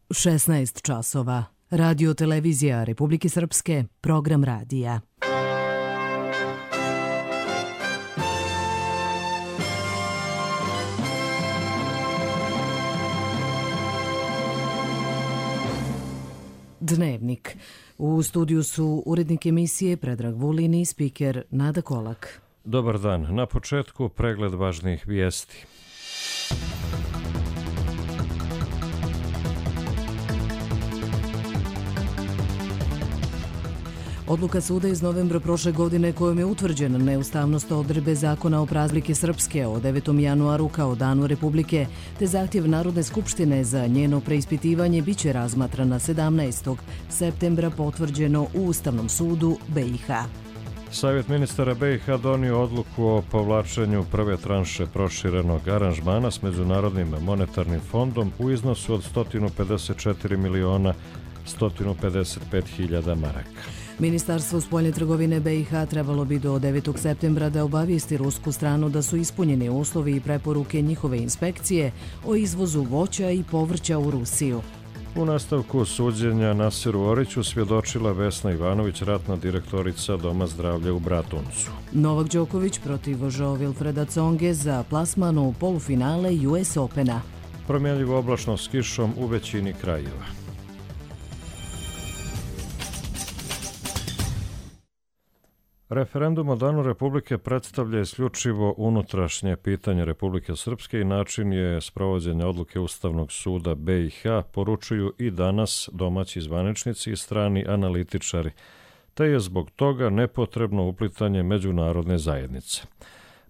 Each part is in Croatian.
16 časova. Radio televizija Republike Srpske, program radija. Dnevnik. U studiju su urednik emisije Predrag Vulin i spiker Nada Kolak. Dobar dan. Na početku pregled važnih vijesti. Odluka suda iz novembra prošle godine kojom je utvrđena neustavnost odredbe zakona o praznike Srpske o 9. januaru kao danu Republike, te zahtjev Narodne skupštine za njeno preispitivanje biće razmatrana 17. septembra potvrđeno u Ustavnom sudu BiH. Savjet ministara BiH donio odluku o povlačenju prve tranše proširenog aranžmana s Međunarodnim monetarnim fondom u iznosu od 154.155.000 maraka. Ministarstvo spoljne trgovine BiH trebalo bi do 9. septembra da obavijesti rusku stranu da su ispunjeni uslovi i preporuke njihove inspekcije o izvozu voća i povrća u Rusiju. U nastavku suđenja Nasiru Oriću svjedočila Vesna Ivanović, ratna direktorica Doma zdravlja u Bratuncu. Novak Đoković protiv Joao Wilfreda Tsonge za plasman u polufinale US Opena. Promjenljivo oblačno s kišom u većini krajeva. Referendum o danu Republike predstavlja isključivo unutrašnje pitanje Republike Srpske i način je sprovođenja odluke Ustavnog suda BiH, poručuju i danas domaći zvaničnici i strani analitičari, te je zbog toga nepotrebno uplitanje međunarodne zajednice.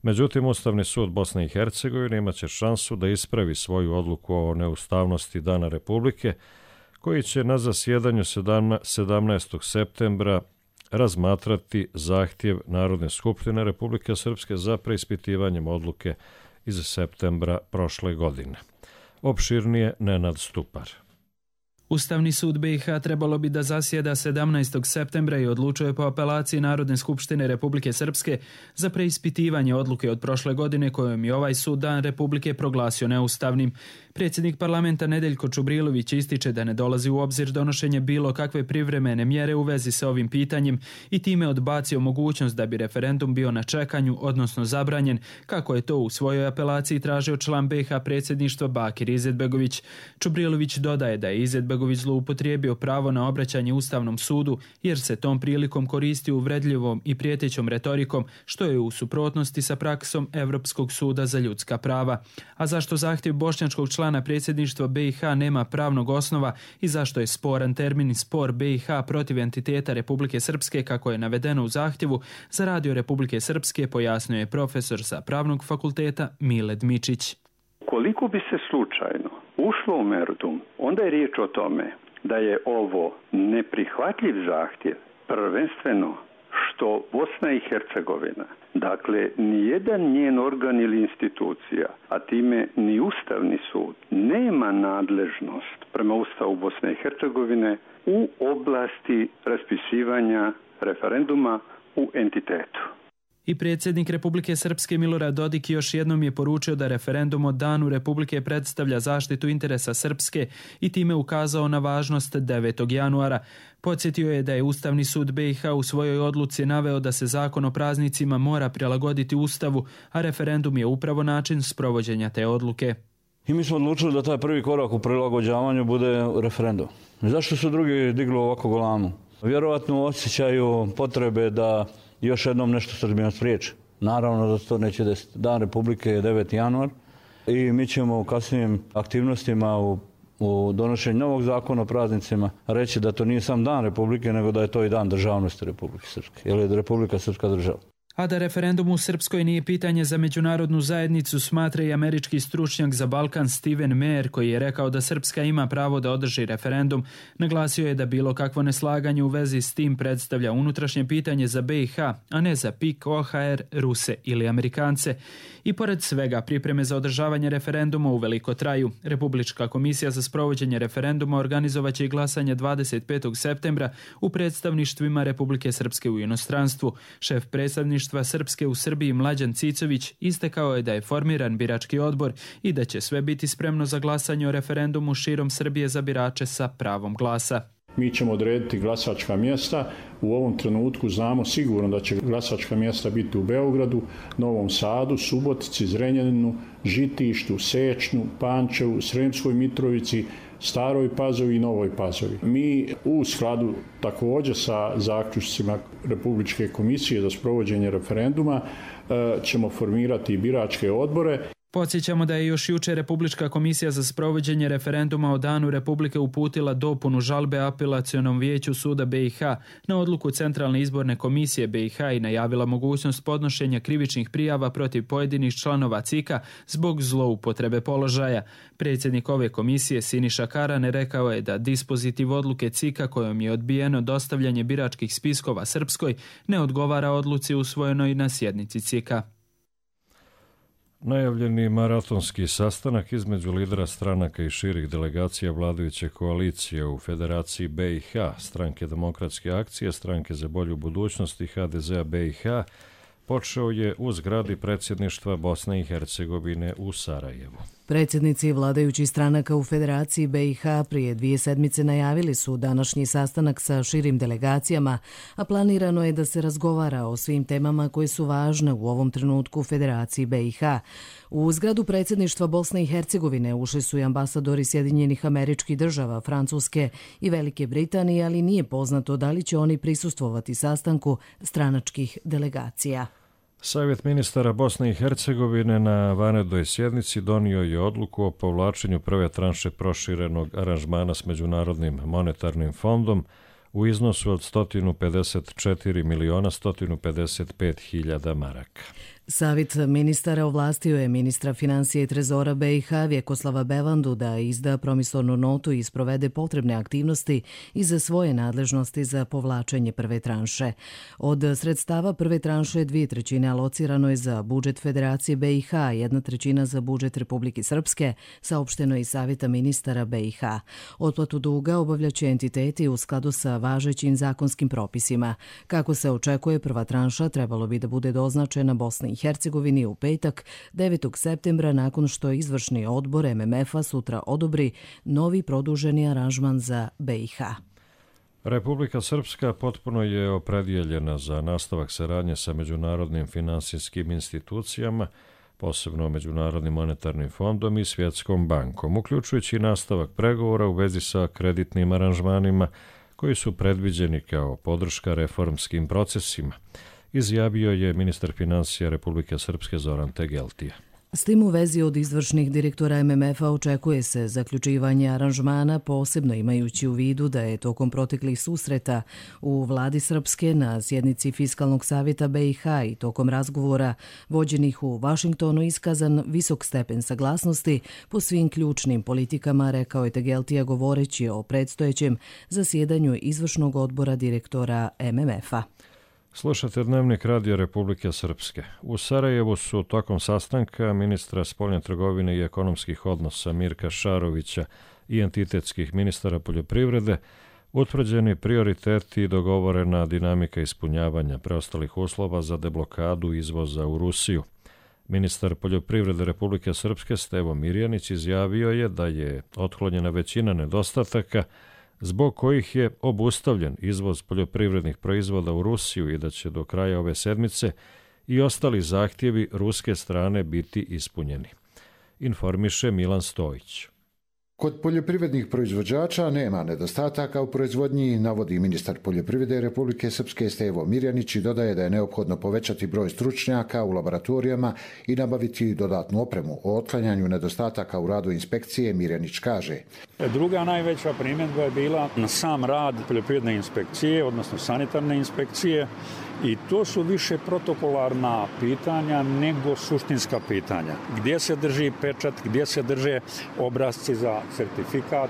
Međutim, Ustavni sud Bosne i Hercegovine imaće šansu da ispravi svoju odluku o neustavnosti dana Republike, koji će na zasjedanju 17. septembra razmatrati zahtjev Narodne skupštine Republike Srpske za preispitivanjem odluke iz septembra prošle godine. Opširnije Nenad Stupar. Ustavni sud BiH trebalo bi da zasjeda 17. septembra i odlučuje po apelaciji Narodne skupštine Republike Srpske za preispitivanje odluke od prošle godine kojom je ovaj sud dan Republike proglasio neustavnim. Predsjednik parlamenta Nedeljko Čubrilović ističe da ne dolazi u obzir donošenje bilo kakve privremene mjere u vezi sa ovim pitanjem i time odbacio mogućnost da bi referendum bio na čekanju, odnosno zabranjen, kako je to u svojoj apelaciji tražio član BiH predsjedništva Bakir Izetbegović. Čubrilović dodaje da je Izetbegović zloupotrijebio pravo na obraćanje Ustavnom sudu jer se tom prilikom koristio uvredljivom i prijetećom retorikom, što je u suprotnosti sa praksom Evropskog suda za ljudska prava. A zašto zahtjev bošnjačkog člana predsjedništva BiH nema pravnog osnova i zašto je sporan termin spor BiH protiv entiteta Republike Srpske, kako je navedeno u zahtjevu, za Radio Republike Srpske pojasnio je profesor sa Pravnog fakulteta Mile Dmičić. Koliko bi se slučajno ušlo u meritum, onda je riječ o tome da je ovo neprihvatljiv zahtjev, prvenstveno što Bosna i Hercegovina, dakle nijedan njen organ ili institucija, a time ni Ustavni sud, nema nadležnost prema Ustavu Bosne i Hercegovine u oblasti raspisivanja referenduma u entitetu. I predsjednik Republike Srpske Milorad Dodik još jednom je poručio da referendum o danu Republike predstavlja zaštitu interesa Srpske i time ukazao na važnost 9. januara. Podsjetio je da je Ustavni sud BiH u svojoj odluci naveo da se zakon o praznicima mora prilagoditi Ustavu, a referendum je upravo način sprovođenja te odluke. I mi smo odlučili da taj prvi korak u prilagođavanju bude referendum. Zašto su drugi digli ovako golamu? Vjerovatno osjećaju potrebe da još jednom nešto Srbijom spriječi. Naravno da se to neće desiti. Dan Republike je 9. januar i mi ćemo u kasnijim aktivnostima u donošenju novog zakona o praznicima reći da to nije sam dan Republike, nego da je to i dan državnosti Republike Srpske, jer je Republika Srpska država. A da referendum u Srpskoj nije pitanje za međunarodnu zajednicu, smatra i američki stručnjak za Balkan Steven Meyer, koji je rekao da Srpska ima pravo da održi referendum. Naglasio je da bilo kakvo neslaganje u vezi s tim predstavlja unutrašnje pitanje za BiH, a ne za PIK, OHR, Ruse ili Amerikance. I pored svega, pripreme za održavanje referenduma uveliko traju. Republička komisija za sprovođenje referenduma organizovaće i glasanje 25. septembra u predstavništvima Republike Srpske u inostranstvu. Šef predstavništva predsjedništva Srpske u Srbiji Mlađan Cicović istakao je da je formiran birački odbor i da će sve biti spremno za glasanje o referendumu širom Srbije za birače sa pravom glasa. Mi ćemo odrediti glasačka mjesta. U ovom trenutku znamo sigurno da će glasačka mjesta biti u Beogradu, Novom Sadu, Subotici, Zrenjaninu, Žitištu, Sečnju, Pančevu, Sremskoj Mitrovici, Staroj Pazovi i Novoj Pazovi. Mi u skladu također sa zaključcima Republičke komisije za sprovođenje referenduma ćemo formirati biračke odbore. Podsjećamo da je još jučer Republička komisija za sprovođenje referenduma o Danu Republike uputila dopunu žalbe apelacionom vijeću suda BiH na odluku Centralne izborne komisije BiH i najavila mogućnost podnošenja krivičnih prijava protiv pojedinih članova CIK-a zbog zloupotrebe položaja. Predsjednik ove komisije Siniša Karane rekao je da dispozitiv odluke CIK-a kojom je odbijeno dostavljanje biračkih spiskova Srpskoj ne odgovara odluci usvojenoj na sjednici CIK-a. Najavljeni maratonski sastanak između lidera stranaka i širih delegacija vladajuće koalicije u Federaciji BiH, Stranke demokratske akcije, Stranke za bolju budućnost i HDZ-a BiH počeo je u zgradi predsjedništva Bosne i Hercegovine u Sarajevu. Predsjednici vladajućih stranaka u Federaciji BiH prije 2 sedmice najavili su današnji sastanak sa širim delegacijama, a planirano je da se razgovara o svim temama koje su važne u ovom trenutku u Federaciji BiH. U zgradu predsjedništva Bosne i Hercegovine ušli su i ambasadori Sjedinjenih Američkih Država, Francuske i Velike Britanije, ali nije poznato da li će oni prisustvovati sastanku stranačkih delegacija. Savjet ministara Bosne i Hercegovine na vanrednoj sjednici donio je odluku o povlačenju prve tranše proširenog aranžmana s Međunarodnim monetarnim fondom u iznosu od 154.155.000 maraka. Savjet ministara ovlastio je ministra financije i trezora BiH Vjekoslava Bevandu da izda promisornu notu i sprovede potrebne aktivnosti i za svoje nadležnosti za povlačenje prve tranše. Od sredstava prve tranše 2/3 alocirano je za budžet Federacije BiH, 1/3 za budžet Republike Srpske, saopšteno je iz Savjeta ministara BiH. Otplatu duga obavljaće entiteti u skladu sa važećim zakonskim propisima. Kako se očekuje, prva tranša trebalo bi da bude doznačena Bosni i Hercegovini u petak 9. septembra nakon što izvršni odbor MMF-a sutra odobri novi produženi aranžman za BiH. Republika Srpska potpuno je opredijeljena za nastavak saradnje sa međunarodnim finansijskim institucijama, posebno Međunarodnim monetarnim fondom i Svjetskom bankom, uključujući nastavak pregovora u vezi sa kreditnim aranžmanima koji su predviđeni kao podrška reformskim procesima, izjavio je ministar financija Republike Srpske Zoran Tegeltija. S tim u vezi od izvršnih direktora MMF-a očekuje se zaključivanje aranžmana, posebno imajući u vidu da je tokom proteklih susreta u vladi Srpske na sjednici Fiskalnog savjeta BiH i tokom razgovora vođenih u Vašingtonu iskazan visok stepen saglasnosti po svim ključnim politikama, rekao je Tegeltija govoreći o predstojećem zasjedanju izvršnog odbora direktora MMF-a. Slušate Dnevnik Radija Republike Srpske. U Sarajevu su tokom sastanka ministra spoljne trgovine i ekonomskih odnosa Mirka Šarovića i entitetskih ministara poljoprivrede utvrđeni prioriteti i dogovorena dinamika ispunjavanja preostalih uslova za deblokadu izvoza u Rusiju. Ministar poljoprivrede Republike Srpske Stevo Mirjanić izjavio je da je otklonjena većina nedostataka zbog kojih je obustavljen izvoz poljoprivrednih proizvoda u Rusiju i da će do kraja ove sedmice i ostali zahtjevi ruske strane biti ispunjeni. Informiše Milan Stojić. Kod poljoprivrednih proizvođača nema nedostataka u proizvodnji, navodi ministar poljoprivrede Republike Srpske Stevo Mirjanić i dodaje da je neophodno povećati broj stručnjaka u laboratorijama i nabaviti dodatnu opremu. O otklanjanju nedostataka u radu inspekcije Mirjanić kaže: Druga najveća primjedba je bila na sam rad poljoprivredne inspekcije, odnosno sanitarne inspekcije, i to su više protokolarna pitanja nego suštinska pitanja. Gdje se drži pečat, gdje se drže obrasci za certifikat,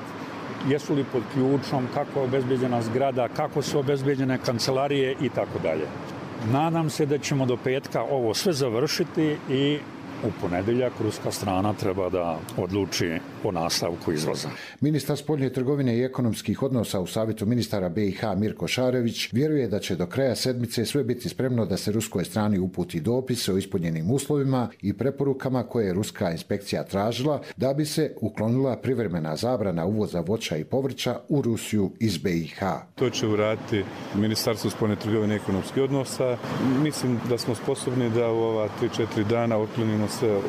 jesu li pod ključom, kako je obezbeđena zgrada, kako su obezbeđene kancelarije i tako dalje. Nadam se da ćemo do petka ovo sve završiti i u ponedjeljak ruska strana treba da odluči o nastavku izvoza. Ministar spoljne trgovine i ekonomskih odnosa u Savjetu ministara BiH Mirko Šarević vjeruje da će do kraja sedmice sve biti spremno da se ruskoj strani uputi dopis o ispunjenim uslovima i preporukama koje je ruska inspekcija tražila da bi se uklonila privremena zabrana uvoza voća i povrća u Rusiju iz BiH. To će uraditi Ministarstvo spoljne trgovine i ekonomskih odnosa. Mislim da smo sposobni da u ova 3-4 dana otklonimo sve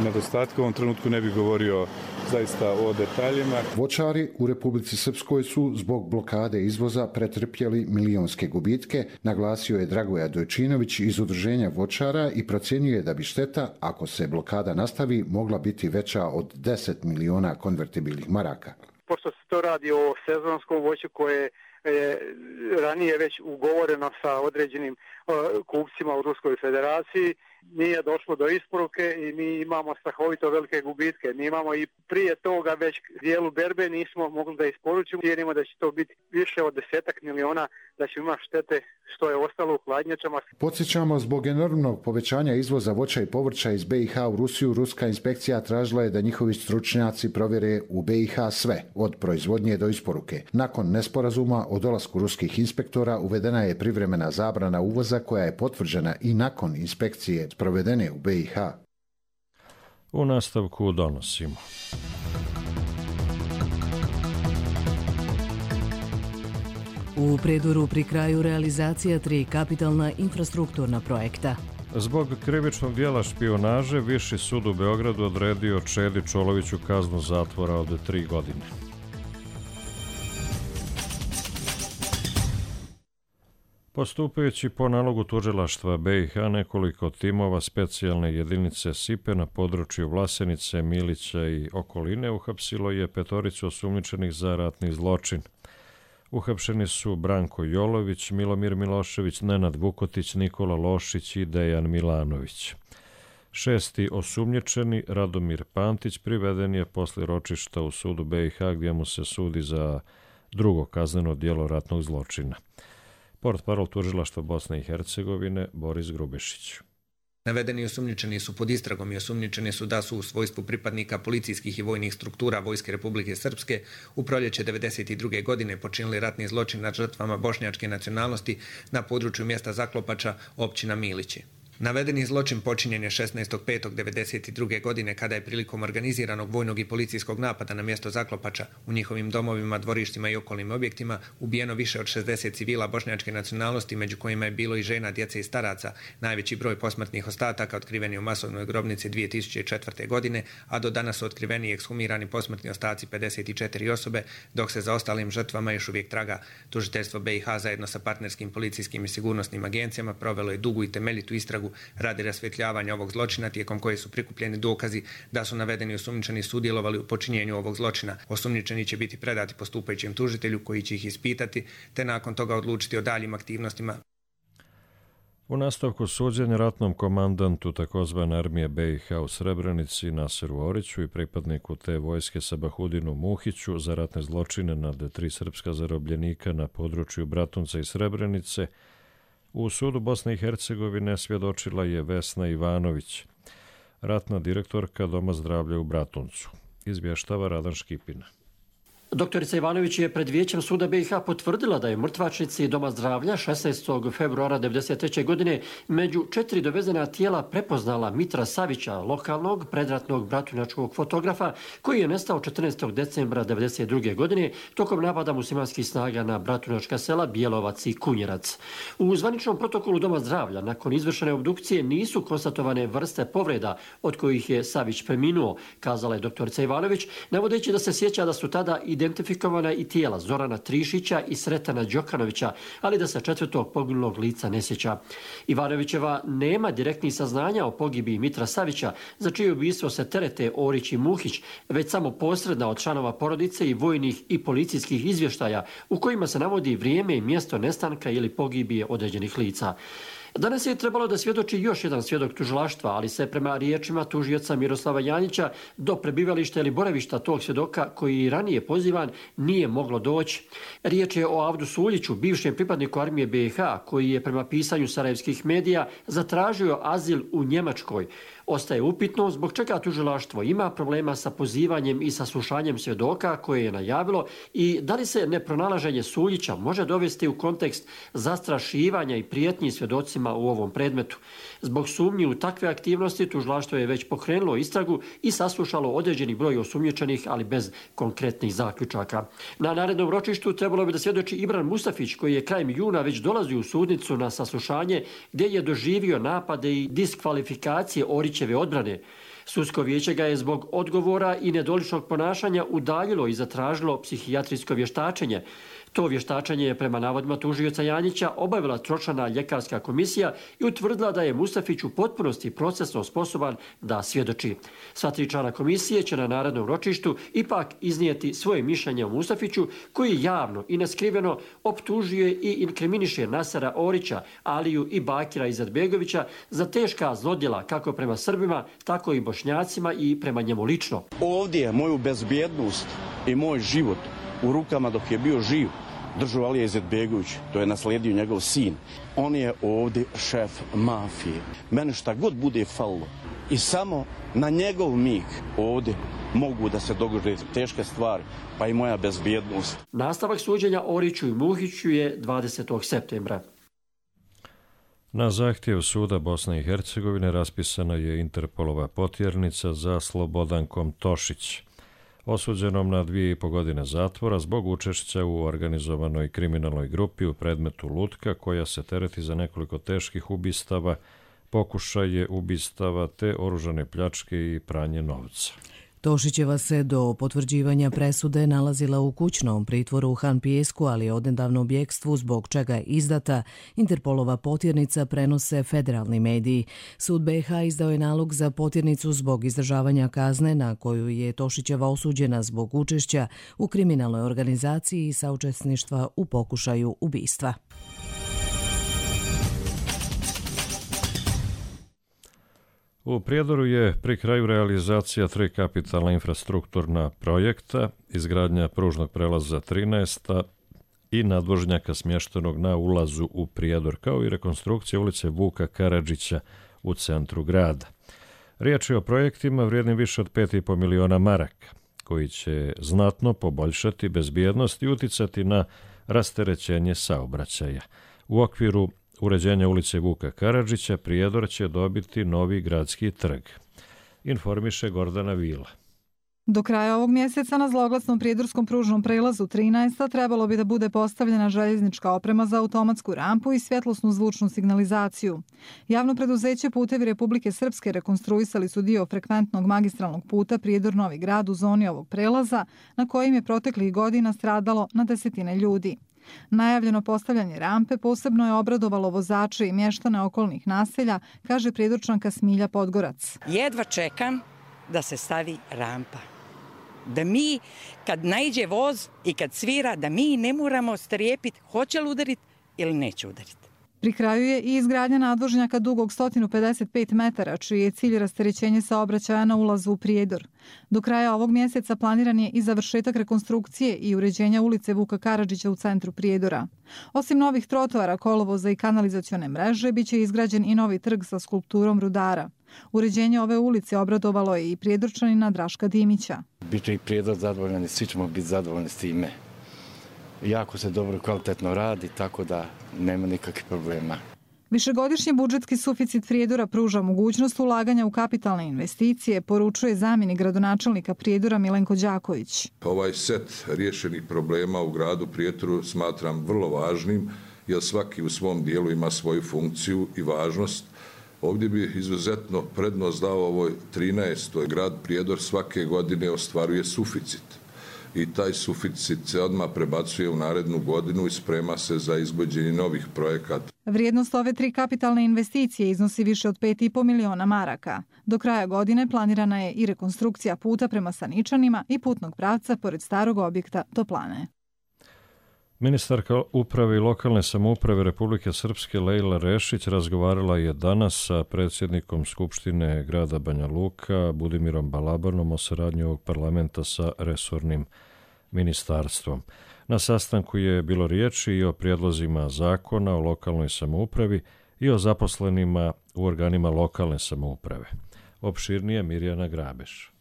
nedostatke. U ovom trenutku ne bih govorio zaista o detaljima. Voćari u Republici Srpskoj su zbog blokade izvoza pretrpjeli milionske gubitke, naglasio je Dragoja Dojčinović iz Udruženja voćara i procjenjuje da bi šteta, ako se blokada nastavi, mogla biti veća od 10 miliona konvertibilnih maraka. Pošto se to radi o sezonskom voću koje je ranije već ugovoreno sa određenim kupcima u Ruskoj federaciji, nije došlo do isporuke i mi imamo strahovito velike gubitke. Mi imamo i prije toga već dijelu berbe nismo mogli da isporučimo. Vjerujemo da će to biti više od 10 miliona, da će imati štete što je ostalo u hladnjačama. Podsjećamo, zbog enormnog povećanja izvoza voća i povrća iz BiH u Rusiju, ruska inspekcija tražila je da njihovi stručnjaci provjere u BiH sve, od proizvodnje do isporuke. Nakon nesporazuma o dolasku ruskih inspektora uvedena je privremena zabrana uvoza koja je potvrđena i nakon inspekcije provedene u BiH. U nastavku donosimo. U Predoru pri kraju realizacija 3 kapitalna infrastrukturna projekta. Zbog krivičnog dijela špijunaže, Viši sud u Beogradu odredio Čedi Čoloviću kaznu zatvora od 3 godine. Postupajući po nalogu tužilaštva BiH, nekoliko timova specijalne jedinice SIPE na području Vlasenice, Milića i okoline uhapsilo je 5 osumnjičenih za ratni zločin. Uhapšeni su Branko Jolović, Milomir Milošević, Nenad Vukotić, Nikola Lošić i Dejan Milanović. 6. osumnjičeni, Radomir Pantić, priveden je posle ročišta u sudu BiH gdje mu se sudi za drugo kazneno djelo ratnog zločina. Portparol tužilaštva Bosne i Hercegovine Boris Grubešić. Navedeni osumnjičeni su pod istragom i osumnjičeni su da su u svojstvu pripadnika policijskih i vojnih struktura Vojske Republike Srpske u proljeće 1992. godine počinili ratni zločin nad žrtvama bošnjačke nacionalnosti na području mjesta Zaklopača, općina Milići. Navedeni zločin počinjen je 16.5.1992. godine kada je prilikom organiziranog vojnog i policijskog napada na mjesto Zaklopača u njihovim domovima, dvorištima i okolnim objektima ubijeno više od 60 civila bošnjačke nacionalnosti, među kojima je bilo i žena, djece i staraca. Najveći broj posmrtnih ostataka otkriven je u masovnoj grobnici 2004. godine, a do danas su otkriveni i ekshumirani posmrtni ostaci 54 osobe, dok se za ostalim žrtvama još uvijek traga. Tužiteljstvo BiH zajedno sa partnerskim policijskim i sigurnosnim agencijama provelo je dugu i temeljitu istragu radi rasvjetljavanja ovog zločina, tijekom koje su prikupljeni dokazi da su navedeni osumnjičeni sudjelovali u počinjenju ovog zločina. Osumnjičeni će biti predati postupajućem tužitelju koji će ih ispitati, te nakon toga odlučiti o daljim aktivnostima. U nastavku suđenja ratnom komandantu takozvane armije BiH u Srebrenici Nasiru Oriću i pripadniku te vojske Sabahudinu Muhiću za ratne zločine nad 3 srpska zarobljenika na području Bratunca i Srebrenice, u sudu Bosne i Hercegovine svjedočila je Vesna Ivanović, ratna direktorka Doma zdravlja u Bratuncu. Izvještava Radan Škipina. Doktorica Ivanović je pred vijećem suda BiH potvrdila da je mrtvačnici Doma zdravlja 16. februara 1993. godine među 4 dovezena tijela prepoznala Mitra Savića, lokalnog predratnog bratunjačkog fotografa, koji je nestao 14. decembra 1992. godine tokom napada muslimanskih snaga na bratunjačka sela Bjelovac i Kunjerac. U zvaničnom protokolu Doma zdravlja nakon izvršene obdukcije nisu konstatovane vrste povreda od kojih je Savić preminuo, kazala je doktorica Ivanović, navodeći da se sjeća da su tada identifikovana i tijela Zorana Trišića i Sretana Đokanovića, ali da se 4. poginulog lica ne sjeća. Ivanovićeva nema direktnih saznanja o pogibiji Mitra Savića, za čije ubistvo se terete Orić i Muhić, već samo posredna od članova porodice i vojnih i policijskih izvještaja u kojima se navodi vrijeme i mjesto nestanka ili pogibije određenih lica. Danas je trebalo da svjedoči još jedan svjedok tužilaštva, ali se prema riječima tužioca Miroslava Janjića do prebivališta ili boravišta tog svjedoka koji je ranije pozivan nije moglo doći. Riječ je o Avdu Suljiću, bivšem pripadniku armije BiH, koji je prema pisanju sarajevskih medija zatražio azil u Njemačkoj. Ostaje upitno zbog čega tužilaštvo ima problema sa pozivanjem i saslušanjem svjedoka koje je najavilo i da li se nepronalaženje Suljića može dovesti u kontekst zastrašivanja i prijetnji svjedocima u ovom predmetu. Zbog sumnji u takve aktivnosti tužilaštvo je već pokrenulo istragu i saslušalo određeni broj osumnjičenih, ali bez konkretnih zaključaka. Na narednom ročištu trebalo bi da svjedoči Ibran Mustafić, koji je krajem juna već dolazio u sudnicu na saslušanje gdje je doživio napade i diskvalifikacije Orićeve odbrane. Sudsko vijeće ga je zbog odgovora i nedoličnog ponašanja udaljilo i zatražilo psihijatrijsko vještačenje. To vještačenje je prema navodima tužioca Janjića obavila tročlana ljekarska komisija i utvrdila da je Mustafić u potpunosti procesno sposoban da svjedoči. Sva 3 člana komisije će na narednom ročištu ipak iznijeti svoje mišljenje o Mustafiću, koji javno i neskriveno optužuje i inkriminiše Nasera Orića, Aliju i Bakira Izetbegovića za teška zlodjela kako prema Srbima, tako i Bošnjacima i prema njemu lično. Ovdje je moju bezbjednost i moj život u rukama dok je bio živ držao Alija Izetbegović, to je naslijedio njegov sin. On je ovdje šef mafije. Mene šta god bude falilo i samo na njegov mig ovdje mogu da se dogode teške stvari, pa i moja bezbjednost. Nastavak suđenja Oriću i Muhiću je 20. septembra. Na zahtjev suda Bosne i Hercegovine raspisana je Interpolova potjernica za Slobodankom Tošić, osuđenom na 2,5 godine zatvora zbog učešća u organizovanoj kriminalnoj grupi u predmetu Lutka, koja se tereti za nekoliko teških ubistava, pokušaje ubistava te oružane pljačke i pranje novca. Tošićeva se do potvrđivanja presude nalazila u kućnom pritvoru u Han Pijesku, ali je odnedavno u bjekstvu, zbog čega je izdata. Interpolova potjernica prenose federalni mediji. Sud BiH izdao je nalog za potjernicu zbog izdržavanja kazne na koju je Tošićeva osuđena zbog učešća u kriminalnoj organizaciji i saučesništva u pokušaju ubistva. U Prijedoru je pri kraju realizacija 3 kapitalna infrastrukturna projekta, izgradnja pružnog prelaza 13 i nadvožnjaka smještenog na ulazu u Prijedor, kao i rekonstrukcija ulice Vuka Karadžića u centru grada. Riječ je o projektima vrijednim više od 5,5 miliona maraka, koji će znatno poboljšati bezbjednost i uticati na rasterećenje saobraćaja. U okviru uređenja ulice Vuka Karadžića Prijedor će dobiti novi gradski trg, informiše Gordana Vila. Do kraja ovog mjeseca na zloglasnom prijedorskom pružnom prelazu 13 trebalo bi da bude postavljena željeznička oprema za automatsku rampu i svjetlosnu zvučnu signalizaciju. Javno preduzeće Putevi Republike Srpske rekonstruisali su dio frekventnog magistralnog puta Prijedor-Novi Grad u zoni ovog prelaza, na kojim je proteklih godina stradalo na desetine ljudi. Najavljeno postavljanje rampe posebno je obradovalo vozače i mještane okolnih naselja, kaže prijedorčanka Smilja Podgorac. Jedva čekam da se stavi rampa. Da mi, kad naiđe voz i kad svira, da mi ne moramo strepiti hoće li udariti ili neće udariti. Pri kraju je i izgradnja nadvožnjaka dugog 155 metara, čiji je cilj rasterećenje saobraćaja na ulazu u Prijedor. Do kraja ovog mjeseca planiran je i završetak rekonstrukcije i uređenja ulice Vuka Karadžića u centru Prijedora. Osim novih trotoara, kolovoza i kanalizacione mreže, biće izgrađen i novi trg sa skulpturom rudara. Uređenje ove ulice obradovalo je i prijedorčanina Draška Dimića. Biće i Prijedor zadovoljni, svi ćemo biti zadovoljni s time. Jako se dobro kvalitetno radi, tako da nema nikakvih problema. Višegodišnji budžetski suficit Prijedora pruža mogućnost ulaganja u kapitalne investicije, poručuje zamjenik gradonačelnika Prijedora Milenko Đaković. Ovaj set riješenih problema u gradu Prijedoru smatram vrlo važnim, jer svaki u svom dijelu ima svoju funkciju i važnost. Ovdje bi izuzetno prednost dao ovoj 13. Grad Prijedor svake godine ostvaruje suficit. I taj suficit se odmah prebacuje u narednu godinu i sprema se za izvođenje novih projekata. Vrijednost ove 3 kapitalne investicije iznosi više od 5,5 miliona maraka. Do kraja godine planirana je i rekonstrukcija puta prema Saničanima i putnog pravca pored starog objekta Toplane. Ministarka uprave i lokalne samouprave Republike Srpske Lejla Rešić razgovarala je danas sa predsjednikom Skupštine grada Banja Luka Budimirom Balabanom o saradnji ovog parlamenta sa resornim ministarstvom. Na sastanku je bilo riječi i o prijedlozima zakona o lokalnoj samoupravi i o zaposlenima u organima lokalne samouprave. Opširnije Mirjana Grabeš.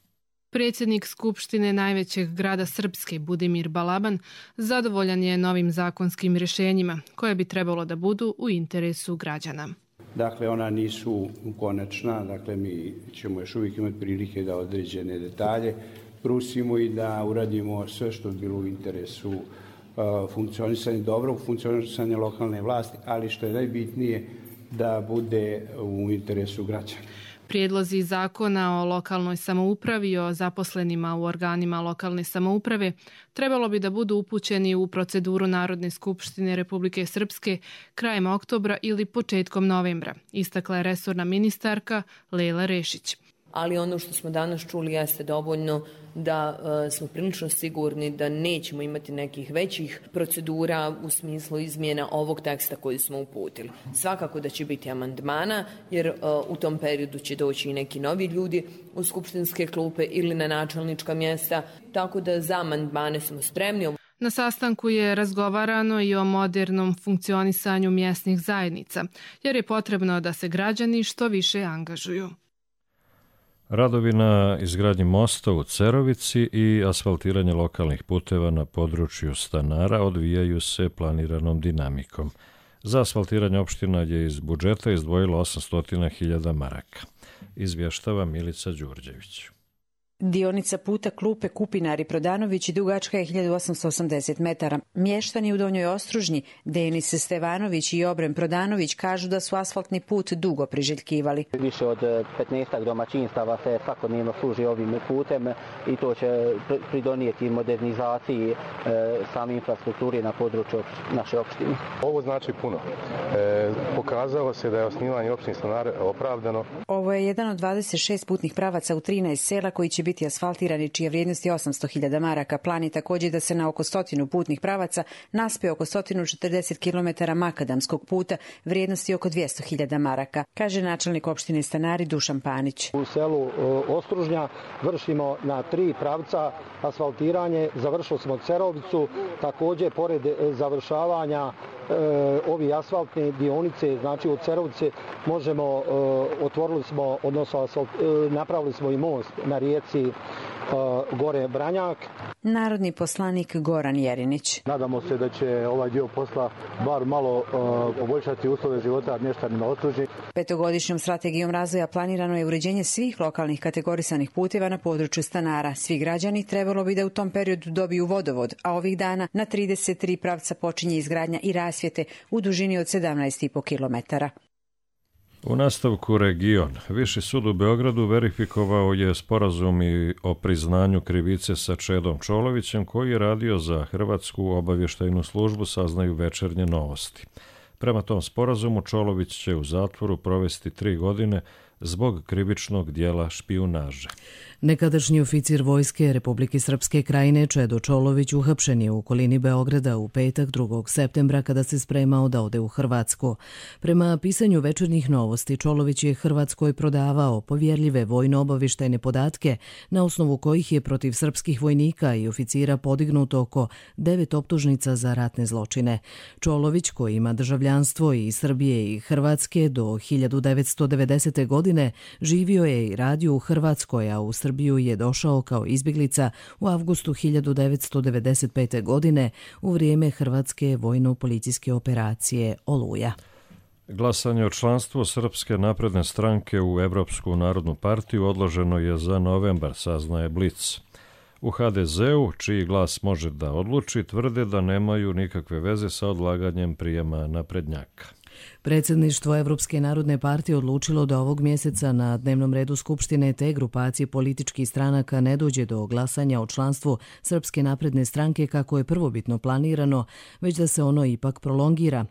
Predsjednik Skupštine najvećeg grada Srpske, Budimir Balaban, zadovoljan je novim zakonskim rješenjima, koje bi trebalo da budu u interesu građana. Dakle, ona nisu konačna, dakle mi ćemo još uvijek imati prilike da određene detalje brusimo i da uradimo sve što bi bilo u interesu funkcionisanja, dobrog funkcionisanja lokalne vlasti, ali što je najbitnije da bude u interesu građana. Prijedlozi zakona o lokalnoj samoupravi i o zaposlenima u organima lokalne samouprave trebalo bi da budu upućeni u proceduru Narodne skupštine Republike Srpske krajem oktobra ili početkom novembra, istakla je resorna ministarka Lejla Rešić. Ali ono što smo danas čuli jeste dovoljno da smo prilično sigurni da nećemo imati nekih većih procedura u smislu izmjena ovog teksta koji smo uputili. Svakako da će biti amandmana, jer u tom periodu će doći i neki novi ljudi u skupštinske klupe ili na načelnička mjesta, tako da za amandmane smo spremni. Na sastanku je razgovarano i o modernom funkcionisanju mjesnih zajednica, jer je potrebno da se građani što više angažuju. Radovi na izgradnji mosta u Cerovici i asfaltiranje lokalnih puteva na području Stanara odvijaju se planiranom dinamikom. Za asfaltiranje opština je iz budžeta izdvojilo 800.000 maraka. Izvještava Milica Đurđević. Dionica puta Klupe Kupinari-Prodanović dugačka je 1880 metara. Mještani u Donjoj Ostružnji, Denis Stevanović i Obrem Prodanović kažu da su asfaltni put dugo priželjkivali. Više od 15 domaćinstava se svakodnevno služi ovim putem i to će pridonijeti modernizaciji same infrastrukture na području naše opštine. Ovo znači puno. Pokazalo se da je osnivanje opštine Stanare opravdano. Ovo je jedan od 26 putnih pravaca u 13 sela koji će biti asfaltirani, čija vrijednost je 800.000 maraka. Plan je također da se na oko 100 putnih pravaca naspe oko 140 km makadamskog puta vrijednosti oko 200.000 maraka, kaže načelnik opštine Stanari Dušan Panić. U selu Ostružnja vršimo na 3 pravca asfaltiranje, završili smo Cerovicu, također pored završavanja ovi asfaltne dionice, znači od Cerovice možemo, otvorili smo, odnosno napravili smo i most na rijeci Gore Branjak. Narodni poslanik Goran Jerinić. Nadamo se da će ovaj dio posla bar malo poboljšati uslove života mještanima Ostružnji. 5-godišnjom strategijom razvoja planirano je uređenje svih lokalnih kategorisanih puteva na području Stanara. Svi građani trebalo bi da u tom periodu dobiju vodovod, a ovih dana na 33 pravca počinje izgradnja i rasvjete u dužini od 17,5 km. U nastavku region. Viši sud u Beogradu verifikovao je sporazum i o priznanju krivice sa Čedom Čolovićem, koji je radio za Hrvatsku obavještajnu službu, saznaju Večernje novosti. Prema tom sporazumu Čolović će u zatvoru provesti 3 godine zbog krivičnog dijela špijunaže. Nekadašnji oficir vojske Republike Srpske Krajine Čedo Čolović uhapšen je u okolini Beograda u petak 2. septembra kada se spremao da ode u Hrvatsku. Prema pisanju Večernjih novosti, Čolović je Hrvatskoj prodavao povjerljive vojno-obavještajne podatke na osnovu kojih je protiv srpskih vojnika i oficira podignuto oko 9 optužnica za ratne zločine. Čolović, koji ima državljanstvo i Srbije i Hrvatske do 1990. godine, živio je i radio u Hrvatskoj, a u Srbiju je došao kao izbjeglica u avgustu 1995. godine u vrijeme Hrvatske vojno-policijske operacije Oluja. Glasanje o članstvu Srpske napredne stranke u Evropsku narodnu partiju odloženo je za novembar, saznaje Blic. U HDZ-u, čiji glas može da odluči, tvrde da nemaju nikakve veze sa odlaganjem prijema naprednjaka. Predsjedništvo Evropske narodne partije odlučilo da ovog mjeseca na dnevnom redu Skupštine te grupacije političkih stranaka ne dođe do glasanja o članstvu Srpske napredne stranke kako je prvobitno planirano, već da se ono ipak prolongira.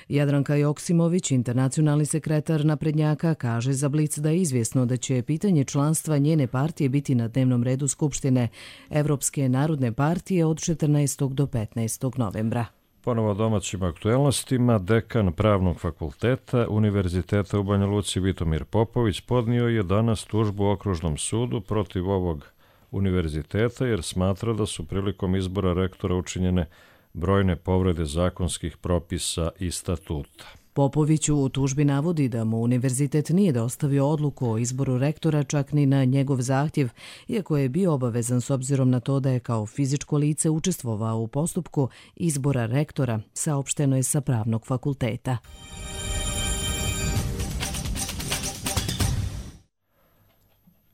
Jadranka Joksimović, internacionalni sekretar naprednjaka, kaže za Blic da je izvjesno da će pitanje članstva njene partije biti na dnevnom redu Skupštine Evropske narodne partije od 14. do 15. novembra. Ponovo domaćim aktuelnostima, dekan Pravnog fakulteta Univerziteta u Banja Luci Vitomir Popović podnio je danas tužbu Okružnom sudu protiv ovog univerziteta jer smatra da su prilikom izbora rektora učinjene brojne povrede zakonskih propisa i statuta. Popović u tužbi navodi da mu univerzitet nije dostavio odluku o izboru rektora čak ni na njegov zahtjev, iako je bio obavezan s obzirom na to da je kao fizičko lice učestvovao u postupku izbora rektora, saopšteno je sa Pravnog fakulteta.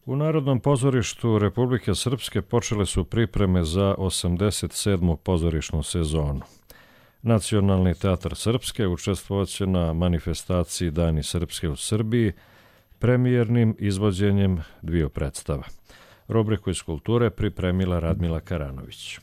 U Narodnom pozorištu Republike Srpske počele su pripreme za 87. pozorišnu sezonu. Nacionalni teatar Srpske učestvovaće na manifestaciji Dani Srpske u Srbiji premijernim izvođenjem 2 predstava. Rubriku iz kulture pripremila Radmila Karanović.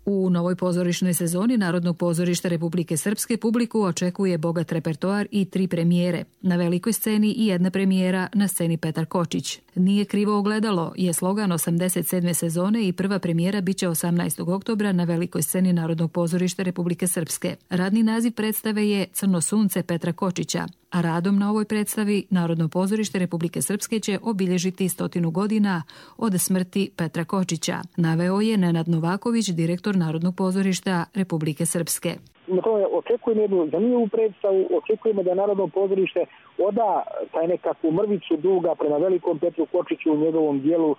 U novoj pozorišnoj sezoni Narodnog pozorišta Republike Srpske publiku očekuje bogat repertoar i 3 premijere. Na velikoj sceni i 1 premijera na sceni Petar Kočić. Nije krivo ogledalo je slogan 87. sezone i prva premijera biće 18. oktobra na velikoj sceni Narodnog pozorišta Republike Srpske. Radni naziv predstave je Crno sunce Petra Kočića, a radom na ovoj predstavi Narodno pozorište Republike Srpske će obilježiti 100 godina od smrti Petra Kočića, naveo je Nenad Novaković, direktor Narodnog pozorišta Republike Srpske. Očekujemo jednu zanimljivu predstavu, očekujemo da Narodno pozorište oda taj nekakvu mrvicu duga prema velikom Petru Kočiću u njegovom dijelu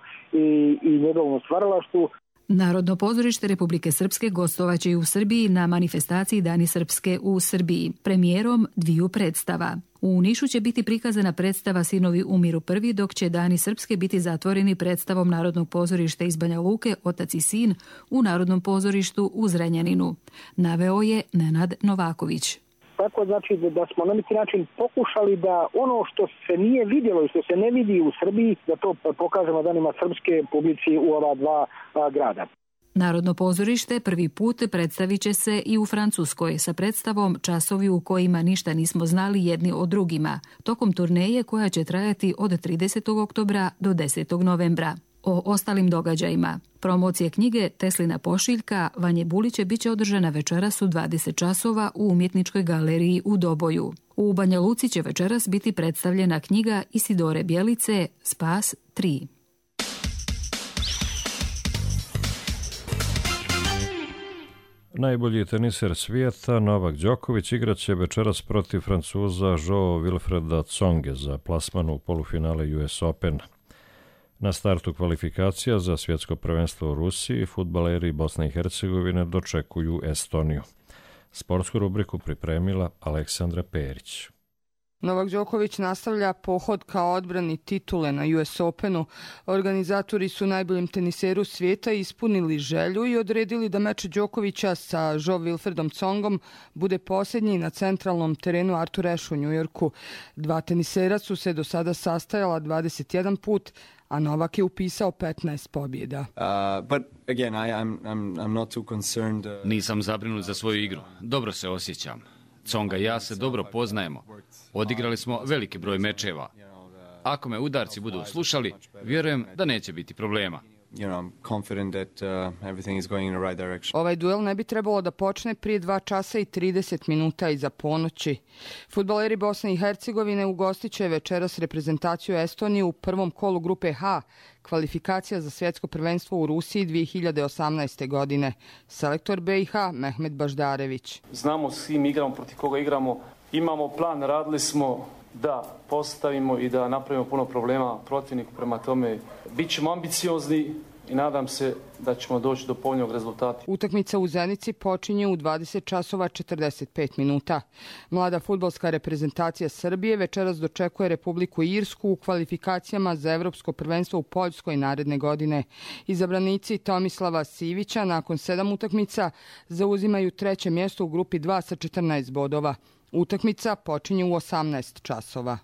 i njegovom stvaralaštvu. Narodno pozorište Republike Srpske gostovaće i u Srbiji na manifestaciji Dani Srpske u Srbiji, premijerom 2 predstava. U Nišu će biti prikazana predstava Sinovi umiru prvi, dok će Dani Srpske biti zatvoreni predstavom Narodnog pozorišta iz Banja Luke Otac i sin u Narodnom pozorištu u Zrenjaninu, naveo je Nenad Novaković. Tako znači da smo na neki način pokušali da ono što se nije vidjelo i što se ne vidi u Srbiji, da to pokažemo danima srpske publici u ova 2 grada. Narodno pozorište prvi put predstavit će se i u Francuskoj sa predstavom Časovi u kojima ništa nismo znali jedni o drugima, tokom turneje koja će trajati od 30. oktobra do 10. novembra. O ostalim događajima. Promocije knjige Teslina pošiljka Vanje Buliće biće održana večeras u 20 časova u Umjetničkoj galeriji u Doboju. U Banja Luci će večeras biti predstavljena knjiga Isidore Bjelice Spas 3. Najbolji teniser svijeta Novak Đoković igraće večeras protiv Francuza Joao Wilfreda Tsonge za plasman u polufinale US Opena. Na startu kvalifikacija za svjetsko prvenstvo u Rusiji fudbaleri Bosne i Hercegovine dočekuju Estoniju. Sportsku rubriku pripremila Aleksandra Perić. Novak Đoković nastavlja pohod kao odbrani titule na US Openu. Organizatori su najboljem teniseru svijeta ispunili želju i odredili da meč Đokovića sa Joao Wilfredom Tsongom bude posljednji na centralnom terenu Arthur Ashe u Njujorku. 2 tenisera su se do sada sastajala 21 put, a Novak je upisao 15 pobjeda. Nisam zabrinut za svoju igru. Dobro se osjećam. Tsonga i ja se dobro poznajemo. Odigrali smo veliki broj mečeva. Ako me udarci budu slušali, vjerujem da neće biti problema. Ovaj duel ne bi trebalo da počne prije 2 časa i 30 minuta iza ponoći. Fudbaleri Bosne i Hercegovine ugostit će večeras reprezentaciju Estonije u prvom kolu grupe H, kvalifikacija za svjetsko prvenstvo u Rusiji 2018. godine. Selektor BiH Mehmet Baždarević. Znamo s kim igramo, protiv koga igramo. Imamo plan, radili smo da postavimo i da napravimo puno problema protivniku, prema tome bit ćemo ambiciozni i nadam se da ćemo doći do povoljnog rezultata. Utakmica u Zenici počinje u 20 časova 45 minuta. Mlada fudbalska reprezentacija Srbije večeras dočekuje Republiku Irsku u kvalifikacijama za Evropsko prvenstvo u Poljskoj naredne godine. Izabranici Tomislava Sivića nakon 7 utakmica zauzimaju 3. mjesto u grupi 2 sa 14 bodova. Utakmica počinje u 18 časova.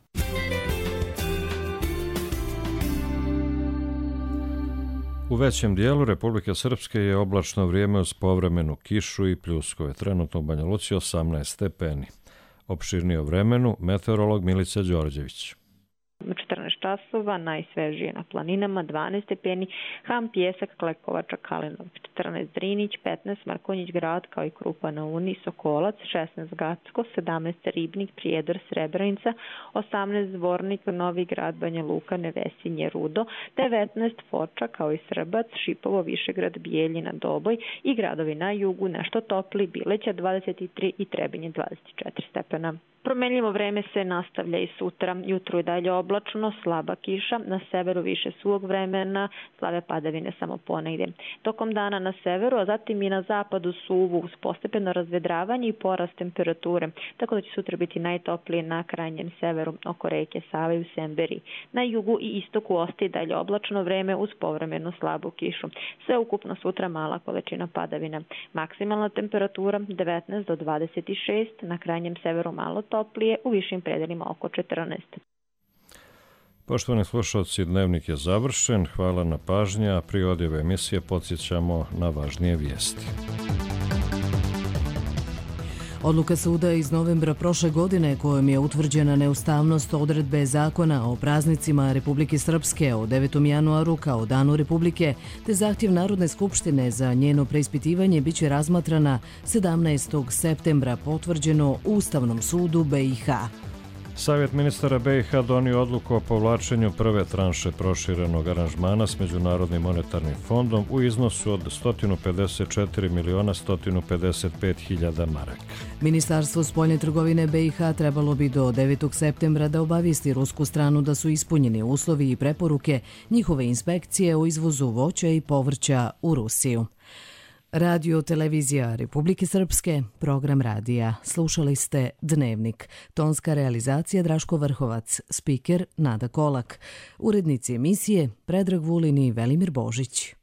U većem dijelu Republike Srpske je oblačno vrijeme uz povremenu kišu i pljuskove. Trenutno u Banja Luci 18 stepeni. Opširnije o vremenu meteorolog Milica Đorđević. 14 časova, najsvežije na planinama, 12 stepeni, Ham, Pjesak, Klekovača, Kalinovac, 14 Drinić, 15 Markonjić Grad, kao i Krupa na Uni, Sokolac, 16 Gacko, 17 Ribnik, Prijedor, Srebrenica, 18 Zvornik, Novi Grad, Banja Luka, Nevesinje, Rudo, 19 Foča, kao i Srbac, Šipovo, Višegrad, Bijeljina, Doboj i gradovi na jugu nešto topli, Bileća 23 i Trebinje 24 stepena. Promenljivo vreme se nastavlja i sutra. Jutro je dalje oblačno, slaba kiša, na severu više suvog vremena, slave padavine samo ponegdje. Tokom dana na severu, a zatim i na zapadu suvu uz postepeno razvedravanje i porast temperature, tako da će sutra biti najtoplije na krajnjem severu oko reke Save u Semberiji. Na jugu i istoku ostaje dalje oblačno vreme uz povremenu slabu kišu. Sve ukupno sutra mala količina padavina. Maksimalna temperatura 19 do 26, na krajnjem severu malo toplije, u višim predelima oko 14. Poštovani slušalci, dnevnik je završen. Hvala na pažnji, a prije odjave emisije podsjećamo na važnije vijesti. Odluka suda iz novembra prošle godine kojom je utvrđena neustavnost odredbe zakona o praznicima Republike Srpske o 9. januaru kao danu Republike, te zahtjev Narodne skupštine za njeno preispitivanje biće razmatrana 17. septembra, potvrđeno u Ustavnom sudu BiH. Savjet ministara BiH donio odluku o povlačenju prve tranše proširenog aranžmana s Međunarodnim monetarnim fondom u iznosu od 154.155.000 maraka. Ministarstvo spoljne trgovine BiH trebalo bi do 9. septembra da obavijesti rusku stranu da su ispunjeni uslovi i preporuke njihove inspekcije o izvozu voća i povrća u Rusiju. Radio Televizija Republike Srpske, program radija. Slušali ste Dnevnik. Tonska realizacija Draško Vrhovac, spiker Nada Kolak. Urednici emisije Predrag Vulin i Velimir Božić.